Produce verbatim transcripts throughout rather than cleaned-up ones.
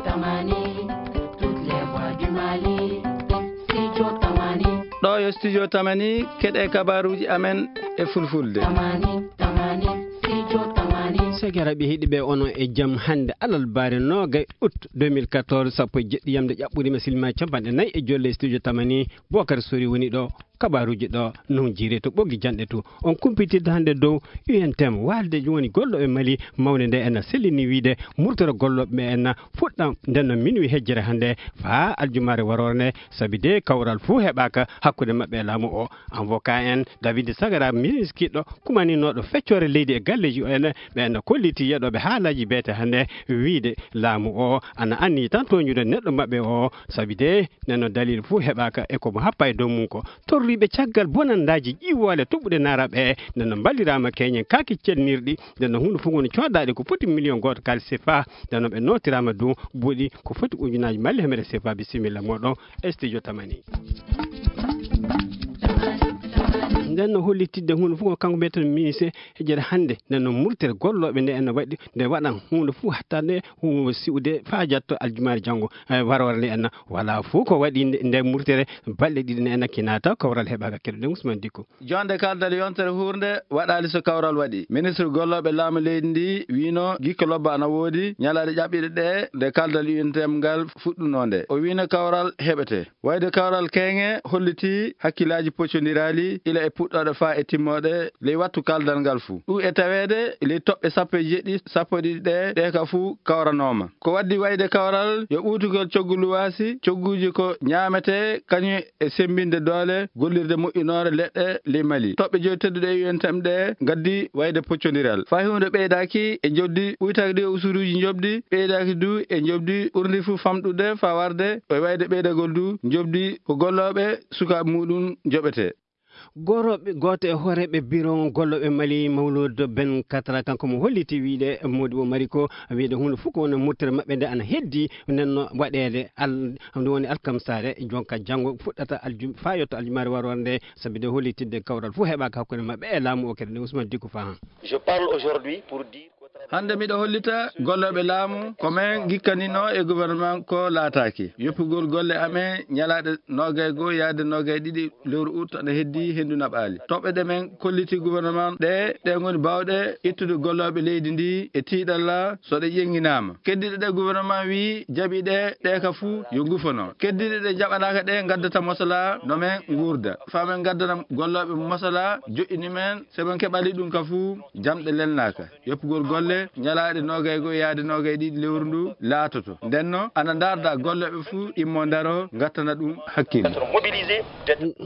Tamani, toutes les voix du Mali. Studio Tamani. Ɗo yo Studio Tamani, keɗe kabaruuji amen e fulfulde. Tamani, Tamani, Studio Tamani. Sakiraaɓe heɗiiɓe, onon e jam hannde alarba noogaye août deux mille quatorze, sappo e jeɗɗi yamde ƴaɓɓude ma silma capanɗe nayi e jolle Studio Tamani. Bocar Sori woni ɗo. Kabaruuji ɗo non jiire to ɓoggi janɗe to. On kumpitirde hannde dow U N T M, waalde woni gollooɓe Mali mawnde nde en sellini wiide murtoro gollooɓe ɓe en fuɗɗa nden no minuwi hejjere hannde faa aljumaare waroore nde, sabi de kawral fuu heɓaaka hakkunde maɓɓe e laamu o. Avocat en David Sagara, ministre kiɗɗo kumaninooɗo feccoore leydi e galleeji o en, ɓe en kolliti yeɗooɓe haalaaji beete hannde wiide laamu o ana anni tan toñude neɗɗo maɓɓe o, sabi de nden no dalil fuu heɓaaka e ko mo happa e dow mum ko. Torriiɓe caggal bonandaaji ƴiwoole toɓɓuɗe naaraɓe, nden no mballiraama keñen kaaki cennirɗi, nden no huunde fof woni coodaaɗe ko foti million gooto kaalis sefa, nden no ɓe nootiraama dow buuɗi ko foti ujunaaji malle hemere sefa. Bisimilla mooɗon e studio Tamani. Nden no hollitidde huunde fof ko kanko mbiyeten ministre e jere hannde, nden no murtere gollooɓe nde en no waɗi, nde waɗan huunde fof hatta nde huunde siwde faa jatto aljumaare janngo, e waroore nde en wala fof ko waɗi nde, nde murtere balɗe ɗiɗi nde en kinata kawral heɓaaka keɗoɗen Ousmane Dicko. Jonde kaldal yontere hurnde waɗaali so kawral waɗi. Ministre gollooɓe laamu leydi ndi wiino gikka lobba ana woodi ñalaaɗe ƴaɓɓiɗe ɗe nde kaldal U N T M ngal fuɗɗunoo nde. O wiino kawral heɓete. Wayde kawral keeŋe holliti hakkillaaji poccondiraali ila e puɗɗooɗe faa e timmooɗe ley wattu kaldal ngal fuu. Ɗum e taweede ley toɓɓe sappo e jeɗɗi, sappo e ɗiɗi ɗe, ɗe ka fuu kawranooma. Ko waddi wayde kawral yo ɓuutugol coggu luwaasi, cogguuji ko ñaametee, kañum e semmbinde doole gollirde moƴƴinoore leɗɗe ley Mali. Toɓɓe joyi tedduɗe e U N T M ɗe ngaddi wayde poccondiral. Fay huunde ɓeydaaki e njoɓdi ɓuytaaki ɗi e usuruuji njoɓdi, ɓeydaaki du e njoɓdi ɓurndi fuu famɗude faa warde e wayde ɓeydagol du njoɓdi ko gollooɓe sukaaɓe muuɗum njoɓetee. Gorooɓe, gooto e hooreeɓe biro gollooɓe Mali, Mawluud Ben Katra, kanko mo holliti wiide Modibo Mariko, wiide huunde fof ko woni murtere maɓɓe nde ana heddi, nden no waɗeede al-, ɗum woni alkamsaare, jonka janngo fuɗɗata aljum-, faa yetto aljumaare waroore nde, sabi de hollitidde kawral fof heɓaaka hakkunde maɓɓe e laamu o kadi nde Ousmane Dicko Fahan. Je parle aujourd'hui pour dire Hannde miɗo hollita gollooɓe laamu ko men ngikkaninoo e gouvernement ko laataaki. Yoppugol golle amen ñalaaɗe noogay goo yaade noogay ɗiɗi lewru août ana heddii henndu naɓaali. Toɓɓe ɗe men kolliti gouvernement ɗe, ɗe ngoni baawɗe ittude gollooɓe leydi ndi e tiiɗalla so ɗe ƴeŋŋinaama. Keddiiɗe ɗe gouvernement wii jaɓi ɗe, ɗe ka fuu yo ngufano. Keddiiɗe ɗe jaɓanaaka ɗe ngaddata mosalaa no men nguurda. Faa men ngaddana gollooɓe mosalaa joƴƴini men, so men keɓali ɗum ka fuu jamɗe lelnaaka. Yoppugol golle ñalaaɗe noogay goo yaade noogay ɗiɗi lewru ndu laatoto. Ndenno, ana ndaarda gollooɓe fuu immo ndaro ngattana ɗum hakkille.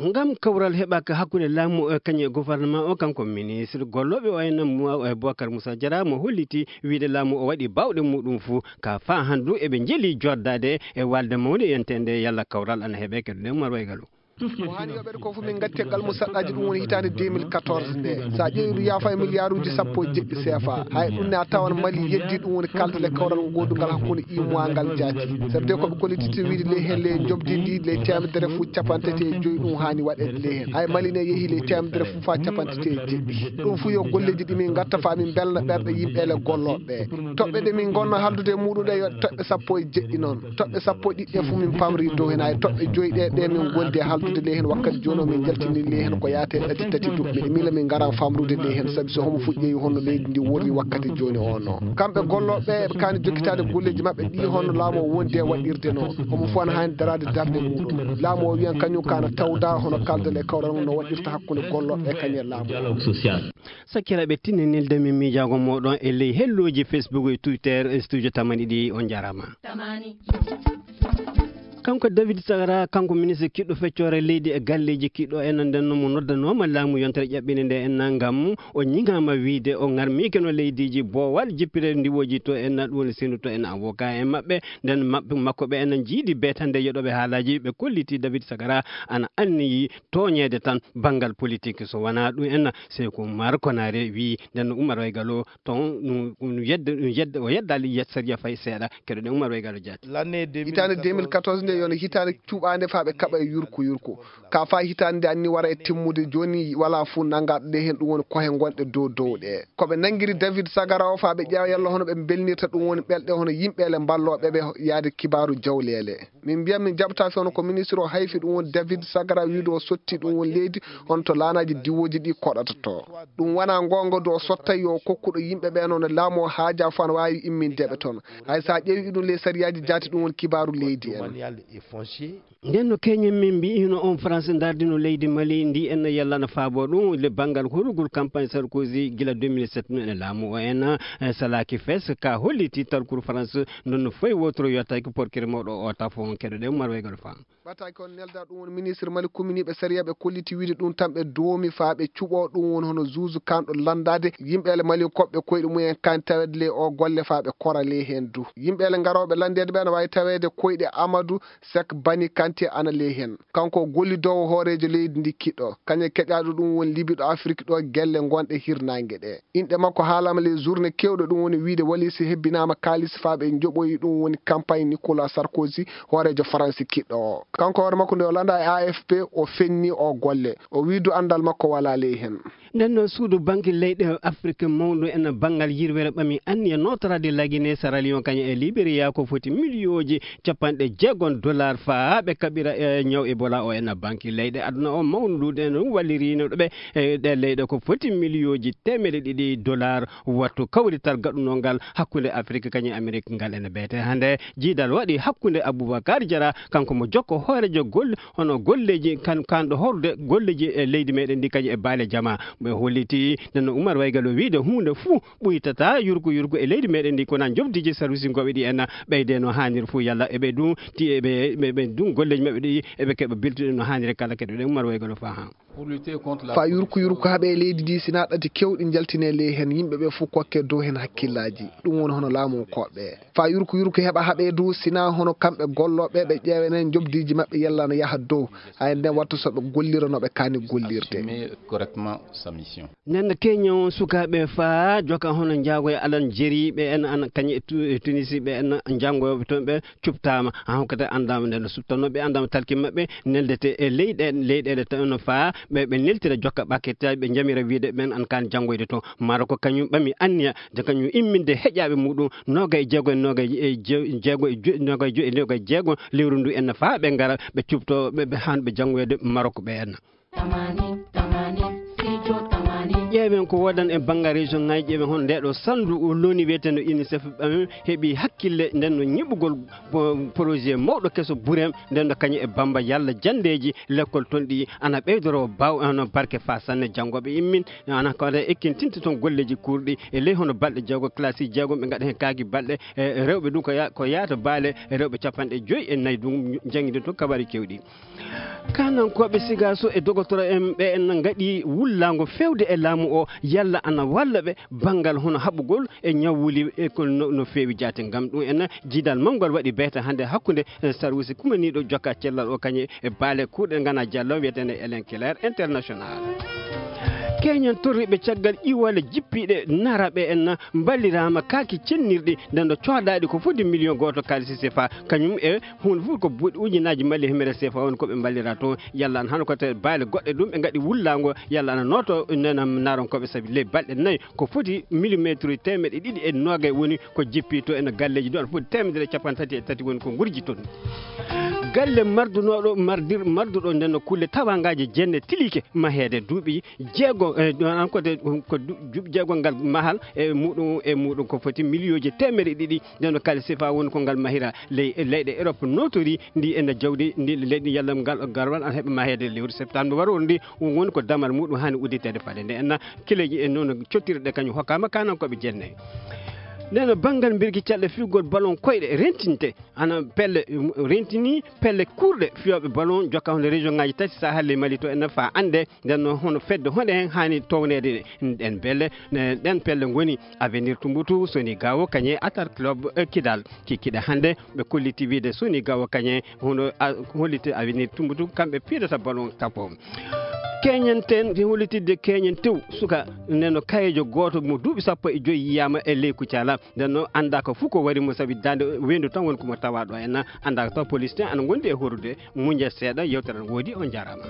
Ngam kawral heɓaaka hakkunde laamu o kañum e gouvernement o, kanko ministre gollooɓe o en mo, e Bocar Moussa Diarra mo holliti wiide laamu o waɗi baawɗe muuɗum fuu ka faa handu eɓe njeli joddaade e waalde mawnde yontere nde yalla kawral ana heɓe keɗoɗen Umar Waygalo. Ko haani yoɓeede ko fof min ngatti e galmu saɗɗaaji, ɗum woni hitaande deux mille quatorze nde. So a ƴeewi ɗum yaafa e miliyaaruuji sappo e jeɗɗi C F A. Hay ɗum ne a tawan Mali yeddi, ɗum woni kaldal e kawral ngoodungal hakkunde U M O A ngal jaati. Sabu de ko ɓe kollititi wiide ley heen ley njoɓdi ndi ley teemedere fof capanɗe tati e joyi ɗum haani waɗeede ley heen. Hay Mali ne yehi ley teemedere fof faa capanɗe tati e jeɗɗi. Ɗum fof yo golleeji ɗi min ngatta faa min mbelna ɓerɗe yimɓe ele gollooɓe ɓe. Toɓɓe ɗe min ngonna haaldude e muuɗum ɗe yo toɓɓe sappo e jeɗɗi noon. Toɓɓe sappo e ɗiɗi ɗe fof min pamri dow heen, hay toɓɓe joyi ɗe, ɗe min ngondi e haaldude ley heen wakkati jooni o, min njaltini ley heen ko yaate ɗati tati duɓɓe. Miila min ngara famrude ley heen, sabi so homo fuɗɗi honno leydi ndi worri wakkati jooni o no. Kamɓe gollooɓe ɓe, ɓe kaani jokkitaade golleeji maɓɓe ɗi honno laamu o wondi e waɗirde noon. Homo fof ana haani daraade darnde muuɗum. Laamu o wiyan kañum kaana tawda hono kaldal e kawral no waɗirta hakkunde gollooɓe ɓe kañum e laamu o. Sakiraaɓe, tinninilde mi miijaago mooɗon e ley hellooji Facebook e Twitter e studio tamani ɗi. On njaaraama. Kanko David Sagara, kanko ministre kiɗɗo feccoore leydi e galleeji kiɗɗo en, nden no mo noddanooma laamu yontere ƴaɓɓinde nde en ngam o ñiŋaama wiide o ŋarmiike no leydiiji boowal jippire ndiwooji to en, ɗum woni sendu to en avocat en maɓɓe, nden maɓɓe makko ɓe en jiidi beetande yeɗooɓe haalaaji ɓe kolliti David Sagara ana anniyi tooñeede tan banngal politik. So wonaa ɗum en, Seeku Umar Konaare wii, nden no Umar Waygalo toon, ɗum, ɗum yedda, ɗum yedda, o yeddaali yet sariya fay seeɗa. Keɗoɗen Umar Waygalo jaati. Hitaande deux mille quatorze nde Yono hitaande cuɓaande faa ɓe kaɓa e yurko yurko. Ka faa hitaande nde anni wara e timmude jooni, walaa fuu nanngaɗo ɗe heen, ɗum woni kohe ngonɗe dow dow ɗe. Ko ɓe nanngiri David Sagara o faa ɓe ƴeewa yalla hono ɓe mbelnirta ɗum woni ɓelɗe hono yimɓeele mballooɓe ɓe yaade kibaaru jawleele. Min mbiyan min jaɓtaaki hono ko ministre o hayfi ɗum woni David Sagara wiide o sotti ɗum woni leydi hono to laanaaji diwooji ɗi koɗata to. Ɗum wonaa ngoonga do o sotta yo kokkuɗo yimɓe ɓe noon laamu o haajaa fof ana waawi imminde ɓe toon. Hay so a ƴeewi ɗum ley sariyaaji jaati ɗum woni kibaaru leydi en. Domanial et foncier. Nden no keñen min mbiyi hino on France ndardino leydi Mali ndi en yalla na faabo ɗum le banngal horugol campagne Sarkozy gila deux mille sept no ene laamu o en, eh, salaki fes ka holliti talkuru France ndon no foy wotoro yottaki porkere mawɗo o tafo on keɗoɗen marwegol fam. Ɓataake on nelda ɗum woni ministre Mali kuminiiɓe sariya ɓe kolliti wiide ɗum tan ɓe doomi faa ɓe cuɓoo ɗum woni hono zuuzu kanɗo lanndaade yimɓeele Mali koɓɓe koyɗe mumen kan taweede ley o golle faa ɓe kora ley heen du. Yimɓeele ngarooɓe lanndeede ɓe ana waawi taweede koyɗe Amadou Sek Bani Kanté ana ley heen. Kanko o gollidoowo hooreejo leydi ndi kiɗɗo. Kañum e keƴaaɗo ɗum woni Libi ɗo Afrik ɗo gelle ngonɗe hirnaange ɗe. Inɗe makko haalama ley journée kewɗo ɗum woni wiide walisi hebbinaama kaalis faa ɓe njoɓoyi ɗum woni campagne Nicolas Sarkozy hooreejo Faransi kiɗɗo o. Kanko hoore makko nde o landa e A F P o fenni o golle. O wii du anndal makko walaa ley heen. Nden noon suudu banki leyɗe Afrik mawɗo en banngal yirwere ɓami anniya nootoraade Lagine Sierra Leone kañum e Liberia ko foti miliyooji capanɗe jeegom dollar faa ɓe kaɓira e ñaw Ebola o en banki leyɗe aduna o mawnude ɗum wallirino ɓe e ɗe leyɗe ko foti miliyooji teemeɗe ɗiɗi dollar wattu kawrital gaɗunol ngal hakkunde Afrik kañum e Amerik ngal ene beete hannde jiidal waɗi hakkunde Aboubacar Diarra kanko mo jokko hoorejo golle hono golleji kan kanɗo horde golleji e leydi meɗen ndi kañum e baale jama ɓe holliti nano Oumar Waygalo wiide hunde fuu ɓuytata yurko yurko e leydi meɗen ndi kona jobdiji service ngoɓe ɗi en ɓeyde no hanir fuu yalla eɓe ɗum ti eɓe ɓe ɗum golleji maɓɓe ɗi eɓe keɓa beltuɗe no hanire kala keɗoɗen Oumar Waygalo faa ha. Fa yurku yurku haɓe e leydi ndi sina ɗati kewɗi njaltine ley heen yimɓe ɓe fof kokke dow heen hakkillaaji ɗum woni hono laamu koɓɓe fa yurku yurku heɓa haɓe dow sina hono kamɓe gollooɓe ɓe ƴeewenen jobdiiji maɓɓe yalla no yaha dow hay nden wattu so ɓe gollira no ɓe kaani gollirde. Assumer correctement sa mission. Nden keño sukaaɓe fa joka hono njaago e alan jeri ɓe en an kañe e Tu- e tunisi ɓe en njanngoyooɓe toon ɓe cuɓtaama, hankadi anndaama nden no suɓtanoo ɓe anndaama talki maɓɓe neldete e leyɗe leyɗeele tawi no faa ɓe ɓe neltira jokka ɓakketaaji ɓe njamira wiide ɓen an kaan janngoyde toon. Maroc kañum ɓami anniya de kañum imminde heƴaaɓe muɗum noogay e jeego e noogay e jeego e noogay e jeego lewru ndu en faa ɓe ngara ɓe cuɓtoo ɓe ɓe haan ɓe janngoyde Maroc ɓe en. Ƴeewen ko wodan e banngal région ngaji ƴeewen hon ndeɗo sandu loni wiyeteno unicef ɓe heɓi hakkille nden no ñiɓugol projet mawɗo keso burem nden no kañum e bamba yalla jandeji lekkol ton ɗi ana ɓeydoro baw ano barke fa sanne janngoɓe immin ana ko ada ekkintinta ton golleji kurɗi e ley hono balɗe jeego classe jeego ɓe ngaɗa hen kaaki balɗe e rewɓe ɗum ko ya- ko yaata baale e rewɓe capanɗe joyi e nayi ɗum janngide to kabari kewɗi. Kanankooɓe sigaso e dogotoro en ɓe en ngaɗi wullaango fewde e laamu o yalla ana walla ɓe banngal hono haɓugol e ñawwuli e ko no feewi jaate ngam ɗum en jiidal mawgal waɗi beeta hannde hakkunde sarwisi kumaniiɗo jokka cellal o kañe e baale kuuɗe ngana jallo wiyetene elen kilaire international. Keñen torriɓe caggal iwale jippiɗe naraɓe en mballirama kaaki cennirɗi nden ɗo codaɗi ko fodde million goto kalisi sefa kañum e hunde fof ko buuɗi ujunaaji mali himere sefa on koɓe mballira toon yalla an hano ko te baale goɗɗe ɗum ɓe ngaɗi wullaango yalla ana nooto nena naronkoɓe sabi ley balɗe nayi ko foti millimétre temeɗe ɗiɗi e noogay woni ko jippi to ene galleji ɗo ana foti temedere e capanɗe tati e tati woni ko gurji toon. Galle mardunoɗo mardir marduɗo nden no kulle tawangaji jenne tilike mahede duuɓi jeego e an ko de ko duuɓi jeego ngal mahal e muɗum e muɗum ko foti million ji temeɗe ɗiɗi nden no kala sifa woni ko ngal mahira ley leyɗe Europe notori ndi ene jawdi ndi leydi yalla ngal garwal an heɓa mahede lewru septembre warori ndi woni ko damal muɗum hani udditede fade nde enna kileji e noon cottirɗe kañum hokkama kanankoɓe jenne. Nden no banngal mbirki caɗɗe figol ballon koyɗe rentinte ana pelle rentini pelle kurɗe fiyooɓe ballon jokka hono région ngaji tati sahal e mali to ene fa annde nden noon hono fedde honde hen hani towneede ɗen pelle ɗen pelle ngoni avenir tumbutu soni gawo kañe atar club kidal kikkiɗe hannde ɓe kolliti wiide soni gawo kañe hono holliti avenir tumbutu kamɓe piidata ballon tapo. Keñen ten, fi hollitidde keñen tew, suka neno kayejo gooto mo duuɓi sappo e joyi yiyaama e ley Kucala. Nden noon, anndaa ko fof ko wari mo, sabi daande weendu tan woni ko mo tawaa ɗo en. Anndaa ko taw police ten ana ngondi e horude. Muñe seeɗa, yewtere ne woodi, on njaaraama.